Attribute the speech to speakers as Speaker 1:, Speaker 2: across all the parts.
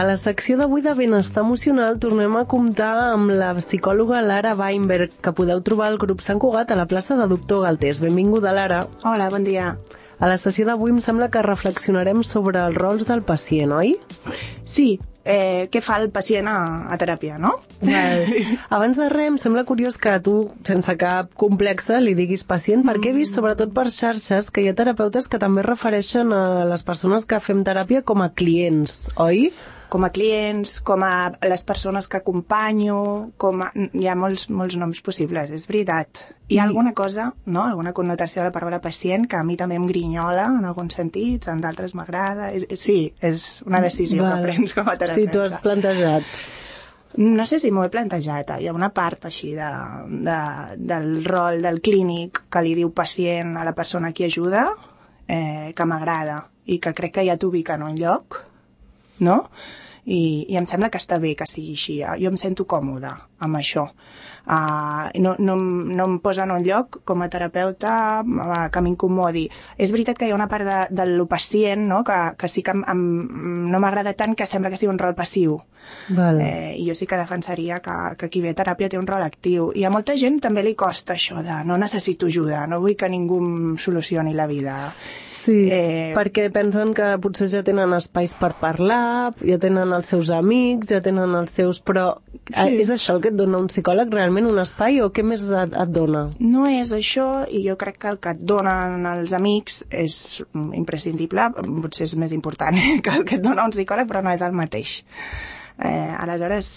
Speaker 1: A la secció d'avui de Benestar Emocional tornem a comptar amb la psicòloga Lara Weinberg, que podeu trobar al grup Sant Cugat a la plaça de Doctor Galtés. Benvinguda, Lara.
Speaker 2: Hola, bon dia.
Speaker 1: A la sessió d'avui em sembla que reflexionarem sobre els rols del pacient, oi?
Speaker 2: Sí, què fa el pacient a teràpia, no?
Speaker 1: Abans de res, em sembla curiós que tu, sense cap complexa, li diguis pacient, perquè he vist, sobretot per xarxes, que hi ha terapeutes que també refereixen a les persones que fem teràpia com a clients, oi?
Speaker 2: Com a clients, com a les persones que acompanyo, hi ha molts noms possibles, és veritat. Hi ha alguna cosa, no? Alguna connotació de la paraula pacient que a mi també em grinyola en alguns sentits, en d'altres m'agrada. Sí, és una decisió que prens com a terapeuta.
Speaker 1: Sí, t'ho has plantejat.
Speaker 2: No sé si m'ho he plantejat. Hi ha una part així del rol del clínic que li diu pacient a la persona a qui ajuda que m'agrada i que crec que ja t'ubica en un lloc, no? I em sembla que està bé que sigui així. Jo em sento còmoda amb això. No em posa en un lloc com a terapeuta que m'incomodi. És veritat que hi ha una part del pacient, no? Que sí que no m'agrada tant, que sembla que sigui un rol passiu. I jo sí que defensaria que qui ve a teràpia té un rol actiu. I a molta gent també li costa això de no necessito ajuda, no vull que ningú em solucioni la vida.
Speaker 1: Sí, perquè pensen que potser ja tenen espais per parlar, ja tenen els seus amics, ja tenen els seus... Però és això el que et dona un psicòleg, realment un espai, o què més et dona?
Speaker 2: No és això, i jo crec que el que et donen els amics és imprescindible, potser és més important que el que et dona un psicòleg, però no és el mateix. Aleshores,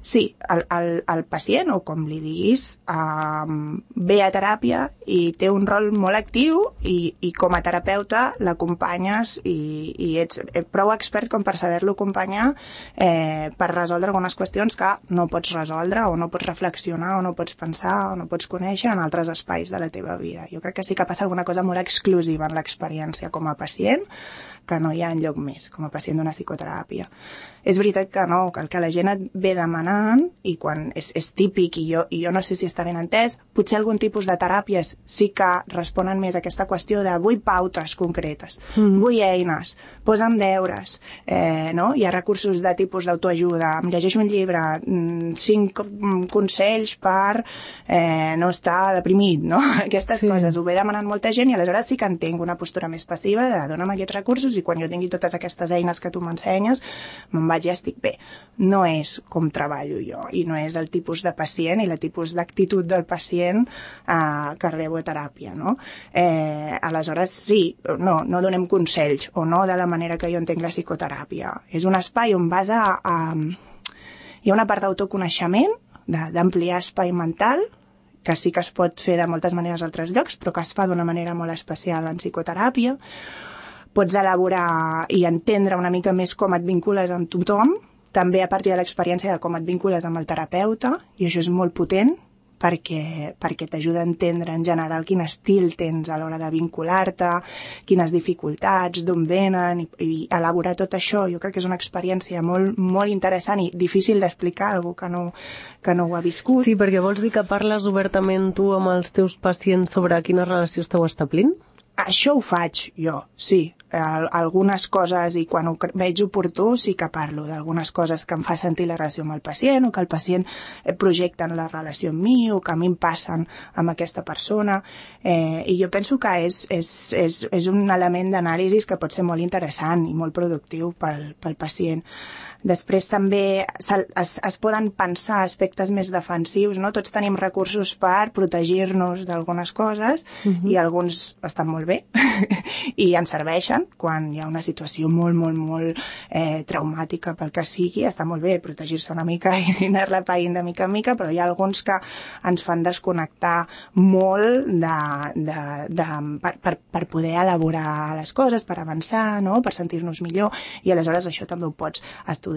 Speaker 2: sí, el pacient, o com li diguis, ve a teràpia i té un rol molt actiu i com a terapeuta l'acompanyes i ets prou expert com per saber-lo acompanyar per resoldre algunes qüestions que no pots resoldre o no pots reflexionar o no pots pensar o no pots conèixer en altres espais de la teva vida. Jo crec que sí que passa alguna cosa molt exclusiva en l'experiència com a pacient que no hi ha enlloc més, com a pacient d'una psicoteràpia. És veritat que no, que el que la gent et ve demanant, i quan és típic, i jo no sé si està ben entès, potser algun tipus de teràpies sí que responen més a aquesta qüestió de vull pautes concretes, vull eines, posa'm deures, no? Hi ha recursos de tipus d'autoajuda, em llegeixo un llibre, 5 consells per no estar deprimit, no? Aquestes coses ho ve demanant molta gent i aleshores sí que entenc una postura més passiva de dona'm aquests recursos i quan jo tingui totes aquestes eines que tu m'ensenyes me'n vaig i estic bé. No és com treballo jo i no és el tipus de pacient i el tipus d'actitud del pacient que rebo a teràpia, no? Aleshores sí, no donem consells o no de la manera que jo entenc la psicoteràpia. És un espai on vas hi ha una part d'autoconeixement, d'ampliar espai mental, que sí que es pot fer de moltes maneres a altres llocs, però que es fa d'una manera molt especial en psicoteràpia. Pots elaborar i entendre una mica més com et vincules amb tothom, també a partir de l'experiència de com et vincules amb el terapeuta, i això és molt potent perquè t'ajuda a entendre en general quin estil tens a l'hora de vincular-te, quines dificultats, d'on venen, i elaborar tot això. Jo crec que és una experiència molt, molt interessant i difícil d'explicar a algú que no ho ha viscut.
Speaker 1: Sí, perquè vols dir que parles obertament tu amb els teus pacients sobre quina relació esteu establint?
Speaker 2: Això ho faig jo, sí. Algunes coses, i quan ho veig oportú, sí que parlo d'algunes coses que em fa sentir la relació amb el pacient o que el pacient projecta en la relació amb mi o que a mi em passen amb aquesta persona. I jo penso que és un element d'anàlisi que pot ser molt interessant i molt productiu pel pacient. Després també es poden pensar aspectes més defensius, no? Tots tenim recursos per protegir-nos d'algunes coses i alguns estan molt bé i ens serveixen quan hi ha una situació molt, molt, molt traumàtica pel que sigui. Està molt bé protegir-se una mica i anar-la païnt de mica en mica, però hi ha alguns que ens fan desconnectar molt per poder elaborar les coses, per avançar, no? Per sentir-nos millor, i aleshores això també ho pots estudiar,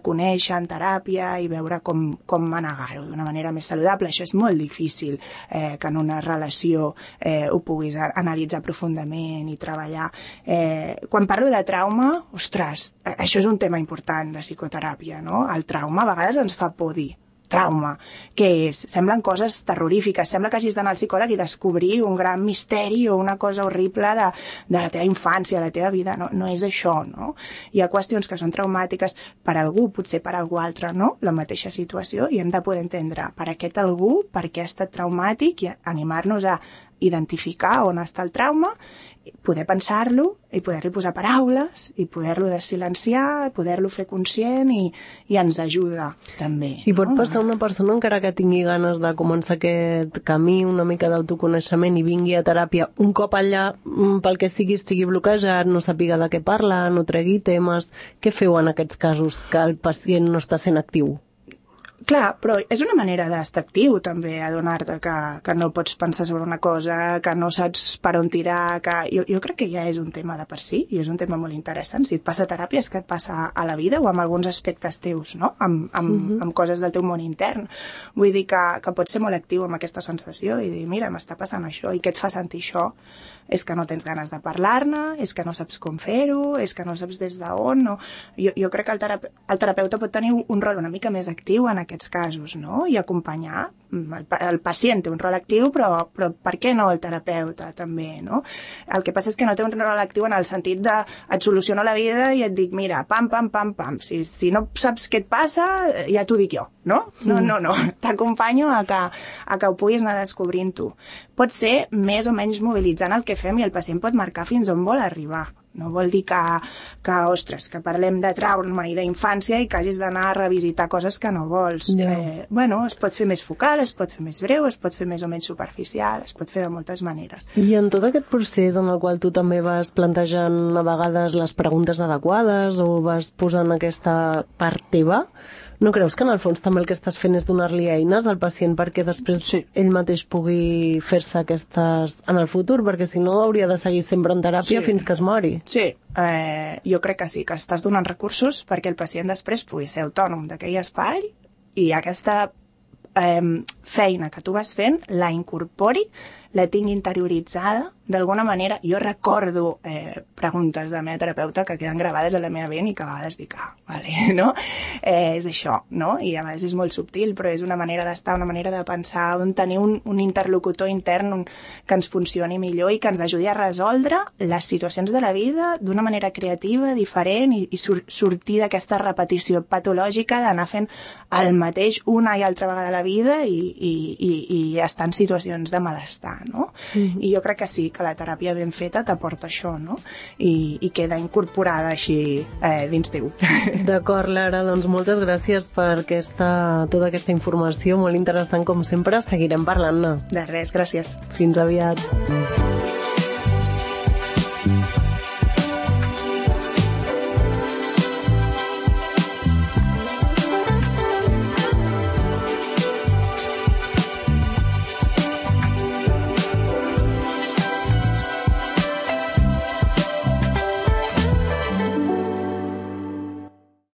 Speaker 2: conèixer en teràpia i veure com manegar-ho d'una manera més saludable. Això és molt difícil que en una relació ho puguis analitzar profundament i treballar. Quan parlo de trauma, ostres, això és un tema important de psicoteràpia, no? El trauma a vegades ens fa por dir trauma. Què és? Semblen coses terrorífiques. Sembla que hagis d'anar al psicòleg i descobrir un gran misteri o una cosa horrible de la teva infància, la teva vida. No és això, no? Hi ha qüestions que són traumàtiques per algú, potser per algú altre, no? La mateixa situació, i hem de poder entendre per aquest algú, per què ha estat traumàtic, i animar-nos a identificar on està el trauma, poder pensar-lo i poder-li posar paraules i poder-lo desilenciar, poder-lo fer conscient i ens ajuda també.
Speaker 1: I pot passar una persona encara que tingui ganes de començar aquest camí una mica d'autoconeixement i vingui a teràpia un cop allà, pel que sigui, estigui bloquejat, no sàpiga de què parla, no tregui temes. Què feu en aquests casos que el pacient no està sent actiu?
Speaker 2: Clar, però és una manera d'estar actiu també, adonar-te que no pots pensar sobre una cosa, que no saps per on tirar, que jo crec que ja és un tema de per si, i és un tema molt interessant. Si et passa a teràpia és que et passa a la vida o amb alguns aspectes teus, no? Amb coses del teu món intern. Vull dir que pots ser molt actiu amb aquesta sensació i dir, mira, m'està passant això, i què et fa sentir això? És que no tens ganes de parlar-ne, és que no saps com fer-ho, és que no saps des d'on, no? Jo crec que el terapeuta pot tenir un rol una mica més actiu en aquests casos, no? I acompanyar. El pacient té un rol actiu, però per què no el terapeuta també, no? El que passa és que no té un rol actiu en el sentit de et soluciono la vida i et dic, mira, pam, pam, pam, pam. Si no saps què et passa, ja t'ho dic jo, no? No. T'acompanyo a que ho puguis anar descobrint tu. Pot ser més o menys mobilitzant el que fem i el pacient pot marcar fins on vol arribar. No vol dir ostres, que parlem de trauma i d'infància i que hagis d'anar a revisitar coses que no vols. Es pot fer més focal, es pot fer més breu, es pot fer més o menys superficial, es pot fer de moltes maneres.
Speaker 1: I en tot aquest procés en el qual tu també vas plantejant a vegades les preguntes adequades o vas posant aquesta part teva, no creus que en el fons també el que estàs fent és donar-li eines al pacient perquè després ell mateix pugui fer-se aquestes en el futur? Perquè si no hauria de seguir sempre en teràpia fins que es mori.
Speaker 2: Sí, jo crec que sí, que estàs donant recursos perquè el pacient després pugui ser autònom d'aquell espai i aquesta feina que tu vas fent la incorpori, la tinc interioritzada d'alguna manera. Jo recordo preguntes de la meva terapeuta que queden gravades a la meva ment i que a vegades dic, vale, no? És això, no? I a vegades és molt subtil, però és una manera d'estar, una manera de pensar, on tenir un interlocutor intern que ens funcioni millor i que ens ajudi a resoldre les situacions de la vida d'una manera creativa, diferent i sortir d'aquesta repetició patològica d'anar fent el mateix una i altra vegada a la vida i estar en situacions de malestar, no? I jo crec que sí, que la teràpia ben feta t'aporta això, no? I queda incorporada així dins teu.
Speaker 1: D'acord, Lara, doncs moltes gràcies per tota aquesta informació, molt interessant com sempre, seguirem parlant-ne.
Speaker 2: De res, gràcies.
Speaker 1: Fins aviat.